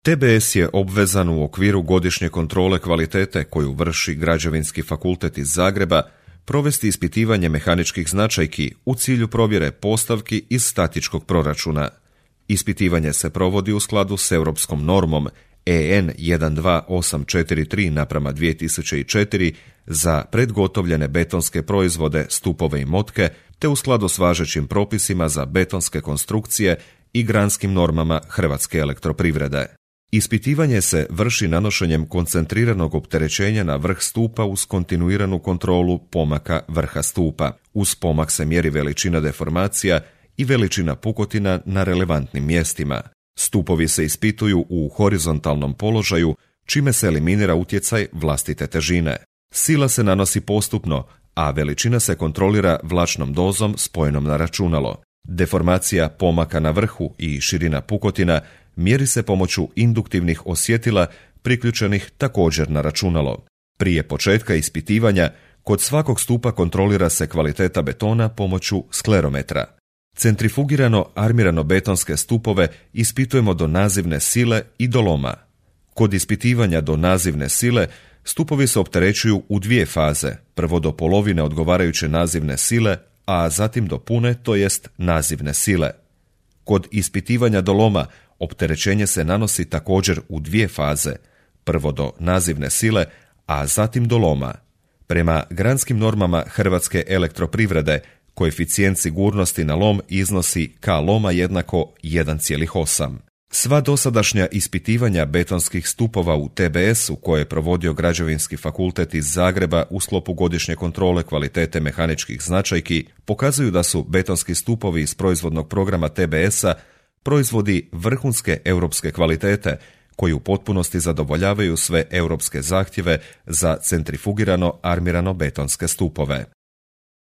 TBS je obvezan u okviru godišnje kontrole kvalitete koju vrši Građevinski fakultet iz Zagreba provesti ispitivanje mehaničkih značajki u cilju provjere postavki iz statičkog proračuna. Ispitivanje se provodi u skladu s europskom normom EN 12843/2004 za predgotovljene betonske proizvode, stupove i motke, te u skladu s važećim propisima za betonske konstrukcije i granskim normama Hrvatske elektroprivrede. Ispitivanje se vrši nanošenjem koncentriranog opterećenja na vrh stupa uz kontinuiranu kontrolu pomaka vrha stupa. Uz pomak se mjeri veličina deformacija i veličina pukotina na relevantnim mjestima. Stupovi se ispituju u horizontalnom položaju, čime se eliminira utjecaj vlastite težine. Sila se nanosi postupno, a veličina se kontrolira vlačnom dozom spojenom na računalo. Deformacija pomaka na vrhu i širina pukotina mjeri se pomoću induktivnih osjetila priključenih također na računalo. Prije početka ispitivanja, kod svakog stupa kontrolira se kvaliteta betona pomoću sklerometra. Centrifugirano armirano betonske stupove ispitujemo do nazivne sile i do loma. Kod ispitivanja do nazivne sile stupovi se opterećuju u dvije faze, prvo do polovine odgovarajuće nazivne sile, a zatim do pune, to jest nazivne sile. Kod ispitivanja do loma opterećenje se nanosi također u dvije faze, prvo do nazivne sile, a zatim do loma. Prema granskim normama Hrvatske elektroprivrede, koeficijent sigurnosti na lom iznosi K loma jednako 1,8. Sva dosadašnja ispitivanja betonskih stupova u TBS-u koje je provodio Građevinski fakultet iz Zagreba u sklopu godišnje kontrole kvalitete mehaničkih značajki pokazuju da su betonski stupovi iz proizvodnog programa TBS-a proizvodi vrhunske europske kvalitete koji u potpunosti zadovoljavaju sve europske zahtjeve za centrifugirano armirano betonske stupove.